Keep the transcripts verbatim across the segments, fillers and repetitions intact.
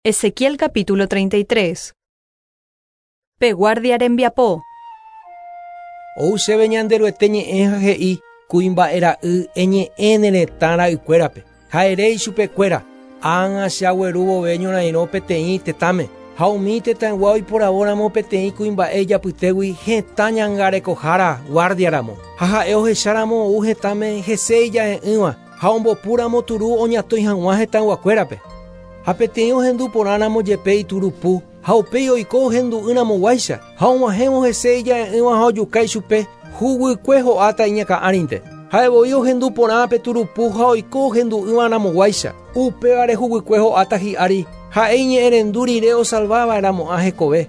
Ezequiel capítulo treinta y tres. Pe guardia rembiapo. Ou chéve Ñanderuete ñe'ẽ ha he'i: kuimba'e ra'y, eñe'ẽ ne retã ra'ykuérape ha ere ichupekuéra: ág̃a che agueru vove ñorairõ peteĩ tetãme ha umi tetãygua oiporavóramo peteĩ kuimba'e ijapytégui hetã ñangarekohára guardiaramo ha ha'e ohecháramo ou hetãme hese ija'e'ỹva ha ombopúramo turu oñatõi hag̃ua hetãyguakuérape ha peteĩ ohendu porãramo jepe iturupu ha upéi oiko ohendu'ỹramoguáicha ha og̃uahẽvo hese ija'e'ỹva ha ojuka ichupe, huguykue ho'áta iñakã'árinte. Ha'evoi ohendu porã pe turupu ha oiko ohendu'ỹvaramoguáicha, upévare huguykue ho'áta hi'ári, ha'e iñe'ẽrendu rire osalvava'erãmo'ã hekove.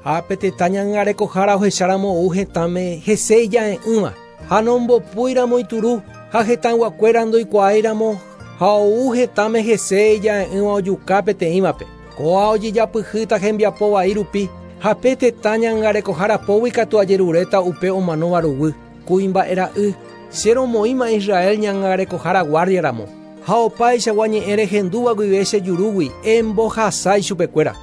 Ha pe tetã ñangarekohára ohecháramo ou hetãme hese ija'e'ỹva ha nombopúiramo ituru ha hetãyguakuéra ndoikuaáiramo ha ou hetãme hese ija'e'ỹva ojuka peteĩvape, kóa ojejapyhýta hembiapo vai rupi ha pe tetã ñangarekohára pógui katu ajeruréta upe omanóva ruguy. Kuimba'e ra'y, che romoĩma Israel ñangarekohára guardiaramo ha opaichagua ñe'ẽ rehendúva guive che jurúgui embohasa ichupekuéra.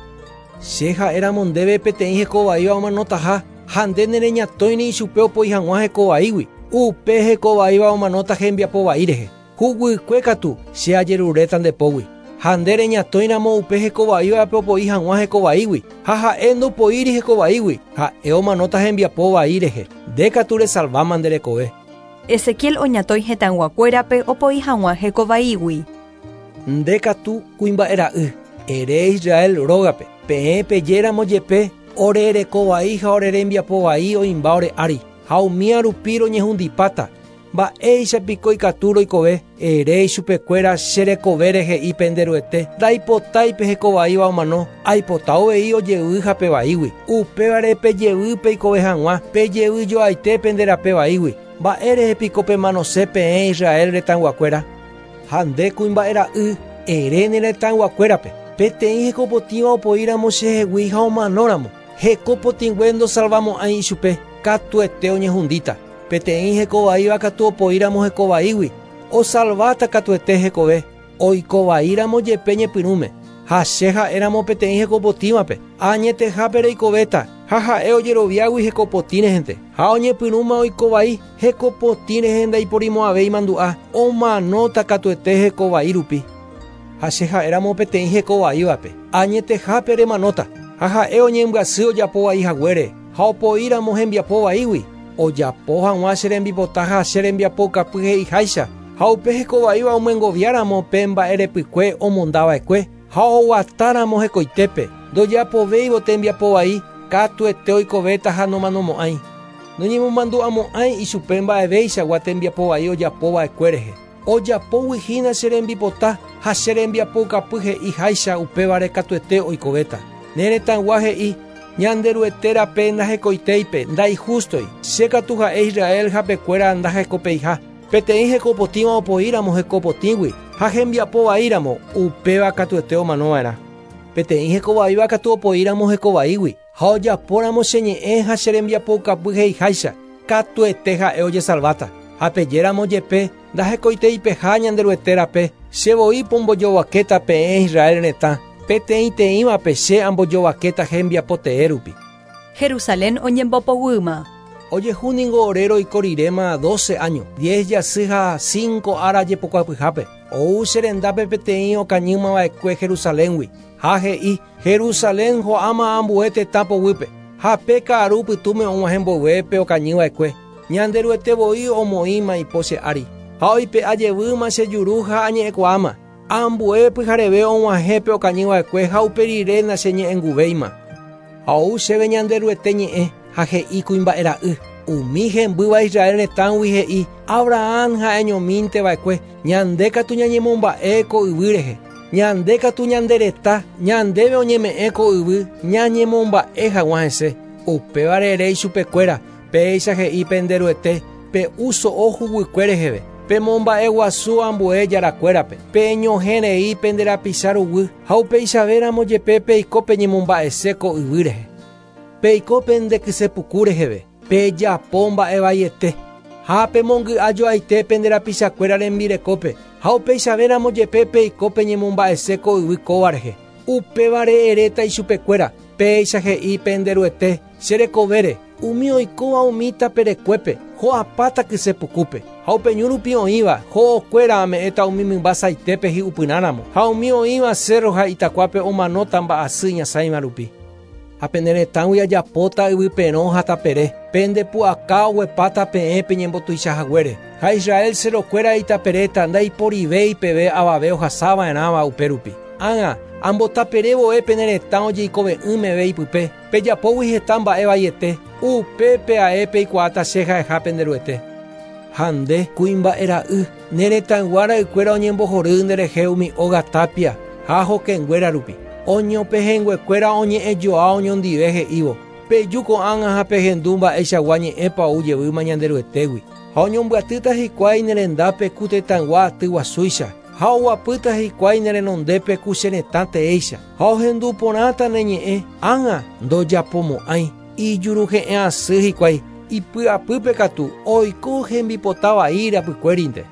Che ha'éramo ndéve peteĩ hekovaíva omanotaha ha nde nereñatõiri ichupe opoi hag̃ua hekovaígui, upe hekovaíva omanóta hembiapo vai rehe, huguykue katu che ajeruréta nde pógui. Ha nde reñatõiramo upe hekovaívape opoi hag̃ua hekovaígui ha ha'e ndopoíri hekovaígui, ha'e omanóta hembiapo vai rehe, nde katu resalváma nde rekove. Ezequiel oñatõi hetãyguakuérape opoi hag̃ua hekovaígui. Nde katu, kuimba'e ra'y, ere Israel rógape: peẽ pejéramo jepe ore rekovai ha ore rembiapo vai oĩmba ore ári ha umía rupi roñehundipáta, mba'éichapiko ikatu roikove? Ere ichupekuéra: che rekovére he'i pende Ruete, ndaipotái pe hekovaíva omano, aipota uvei ojevy hape vaígui. Upévare pejevy peikove hag̃ua, pejevy joaite pende rape vaígui. Mba'érehe piko pemanose peẽ Israel retãyguakuéra? Ha nde, kuimba'e ra'y, ere ne retãyguakuérape: peteĩ hekopotĩva opoíramo chehegui ha omanóramo, hekopotĩngue ndosalvamo'ãi ichupe, katuete oñehundíta. Peteĩ hekovaíva katu opoíramo hekovaígui, osalváta katuete hekove, oikovaíramo jepe ñepyrũme. Ha che ha'éramo peteĩ hekopotĩvape: añetehápe reikovéta, ha ha'e ojeroviágui hekopotĩ rehente ha oñepyrũma oikovai, hekopotĩ rehe ndaiporimo'ãvéi mandu'a, omanóta katuete hekovai rupi. Ha che ha'éramo peteĩ hekovaívape: añetehápe remanóta, ha ha'e oñembyasy ojapo vai haguére ha opoíramo hembiapo vaígui ojapo hag̃ua che rembipota ha che rembiapoukapy he'iháicha, ha upe hekovaíva omyengoviáramo pe mba'erepykue omondava'ekue ha oguatáramo hekoitépe ndojapovéivo tembiapo vai, katuete oikovéta ha nomanomo'ãi. Noñemomandu'amo'ãi ichupe mba'evéichagua tembiapo vai ojapova'ekue rehe, ojapógui hína che rembipota ha che rembiapoukapy he'iháicha, upévare katuete oikovéta. Ne retãygua he'i: Ñanderuete rape ndahekoitéipe, ndaihústoi. Che katu ha'e Israel hapekuéra ndahekopeiha. Peteĩ hekopotĩva opoíramo hekopotĩgui ha hembiapo vaíramo, upéva katuete omanova'erã. Peteĩ hekovaíva katu opoíramo hekovaígui ha ojapóramo che ñe'ẽ ha che rembiapoukapy he'iháicha, katuete ha'e ojesalváta. Ha pejéramo jepe ndahekoiteipeha Ñanderuete rape, che voi pombojovakéta peẽ Israel retã, peteĩteĩvape che ambojovakéta hembiapo tee rupi. Jerusalén oñembopoguýma. Ojehu ningo ore roiko riréma doce año, diez jasy ha cinco ára jepokuapyhápe, ou che rendápe peteĩ okañýmava'ekue Jerusaléngui ha he'i: Jerusalén ho'áma ambue tetã poguýpe. Ha pe ka'aru pytũme og̃uahẽ mboyve pe okañyva'ekue, Ñanderuete voi omoĩma ipo che ári ha oipe'a jevýma che juru ha añe'ẽkuaáma. Ambue pyhareve og̃uahẽ pe okañyva'ekue ha upe rire nacheñe'ẽnguvéima. Ha ou chéve Ñanderuete ñe'ẽ ha he'i: kuimba'e ra'y, umi hembýva Israel retãgui he'i: Abraham ha'eñomínteva'ekue, ñande katu ñañemomba'e ko yvy rehe. Ñande katu ñande reta, ñandéve oñeme'ẽ ko yvy ñañemomba'e hag̃ua hese. Upévare ere ichupekuéra: péicha he'i pende Ruete: pe'u so'o huguykue reheve, pemomba'eguasu ambue jarakuérape, peñohẽ rei pende rapicha ruguy ha upeichavéramo jepe peiko peñemomba'ese ko yvy rehe. Peiko pende kysepuku reheve, pejapo mba'e vaiete ha pemongy'a joaite pende rapichakuéra rembirekópe ha upeichavéramo jepe peiko peñemomba'ese ko yvy kóva rehe. Upévare eréta ichupekuéra, péicha he'i pende Ruete, che rekovére, umi oikóva umi taperekuépe, ho'apáta kysepukúpe. Ha upe ñu rupi oĩva, ho'okuéra ame'ẽta umi mymba saitépe hi'upyrãramo. Ha umi oĩva cerro ha itakuápe omanóta mba'asy ñasãiva rupi. Ha pene retãgui ajapóta yvyperõ ha tapere, pende pu'aka oguepáta peẽ peñembotuichahaguére. Ha Israel cerrokuéra itaperéta ndaiporivéi peve avave ohasava'erãva upérupi. Ág̃a ambotaperévoe pene retã ojeikove'ỹ meve ipype, pejapógui heta mba'e vaiete, upépe ae peikuaáta che ha'eha pende Ruete. Ha nde kuimba'e ra'y, ne retãygua ra'ykuéra oñembohory nderehe umi óga tapia ha hokẽnguéra rupi. Oñopehẽnguekuéra oñe'ẽjoa oñondive he'ívo, peju ko'ág̃a ha pehendu mba'eichagua ñe'ẽpa ou jevýma Ñanderuetégui. Ha oñombyatýta hikuái ne rendápe ku tetãygua aty guasúicha, ha oguapýta hikuái ne renondépe ku che retã teéicha. Ha ohendu porãta ne ñe'ẽ, ág̃a ndojapomo'ãi, ijuruhe'ẽ asy hikuái, ipy'apýpe katu oiko hembipota vai rapykuérinte.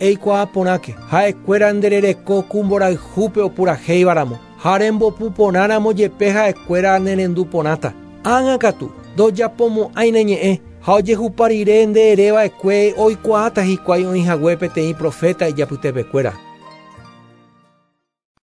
Eikuaa porãke, ha'ekuéra nderereko ku mborayhúpe opurahéivaramo, ha rembopu porãramo jepe ha'ekuéra nerendu porãta. Ág̃a katu ndojapomo'ãi ne ñe'ẽ, ha ojehupa rire nde ereva'ekue oikuaáta hikuái oĩhague peteĩ profeta ijapytepekuéra.